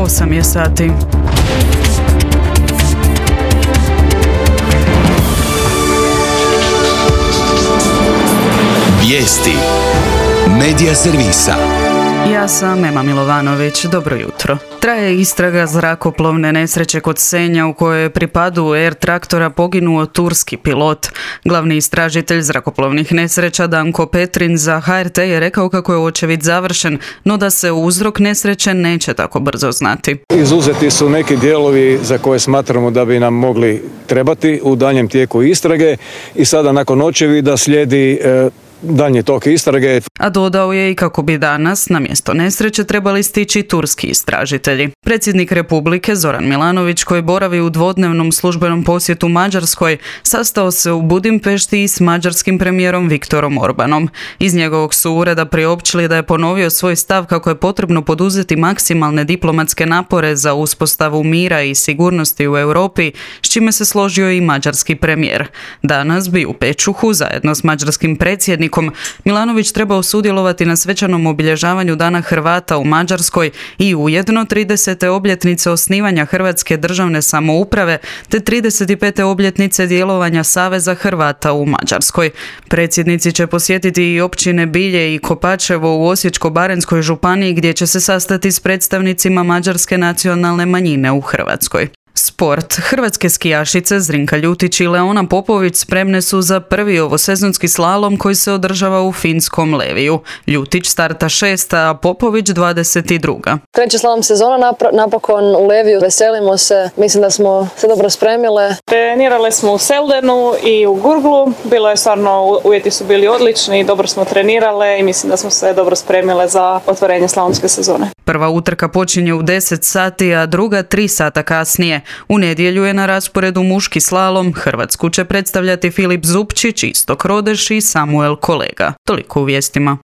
8 je sati. Vijesti Medija servisa. Ja sam Ema Milovanović, dobro jutro. Traje istraga zrakoplovne nesreće kod Senja u kojoj je pri padu Air traktora poginuo turski pilot. Glavni istražitelj zrakoplovnih nesreća Danko Petrin za HRT je rekao kako je očevid završen, no da se uzrok nesreće neće tako brzo znati. Izuzeti su neki dijelovi za koje smatramo da bi nam mogli trebati u daljem tijeku istrage i sada nakon očevida slijedi daljnji tok istrage. A dodao je i kako bi danas na mjesto nesreće trebali stići turski istražitelji. Predsjednik Republike Zoran Milanović, koji boravi u dvodnevnom službenom posjetu Mađarskoj, sastao se u Budimpešti i s mađarskim premijerom Viktorom Orbanom. Iz njegovog su ureda priopćili da je ponovio svoj stav kako je potrebno poduzeti maksimalne diplomatske napore za uspostavu mira i sigurnosti u Europi, s čime se složio i mađarski premijer. Danas bi u Pečuhu zajedno s mađarskim predsjednikom Milanović trebao sudjelovati na svečanom obilježavanju Dana Hrvata u Mađarskoj i ujedno 30. obljetnice osnivanja Hrvatske državne samouprave te 35. obljetnice djelovanja Saveza Hrvata u Mađarskoj. Predsjednici će posjetiti i općine Bilje i Kopačevo u Osječko-baranjskoj županiji gdje će se sastati s predstavnicima mađarske nacionalne manjine u Hrvatskoj. Sport. Hrvatske skijašice Zrinka Ljutić i Leona Popović spremne su za prvi ovosezonski slalom koji se održava u finskom Leviju. Ljutić starta 6, a Popović 22. Treći slalom sezona napokon u Leviju. Veselimo se, mislim da smo se dobro spremile. Trenirale smo u Seldenu i u Gurglu. Bilo je stvarno, uvjeti su bili odlični, dobro smo trenirale i mislim da smo se dobro spremile za otvorenje slalomske sezone. Prva utrka počinje u 10 sati, a druga 3 sata kasnije. U nedjelju je na rasporedu muški slalom. Hrvatsku će predstavljati Filip Zupčić, Istok Rodeš i Samuel Kolega. Toliko u vijestima.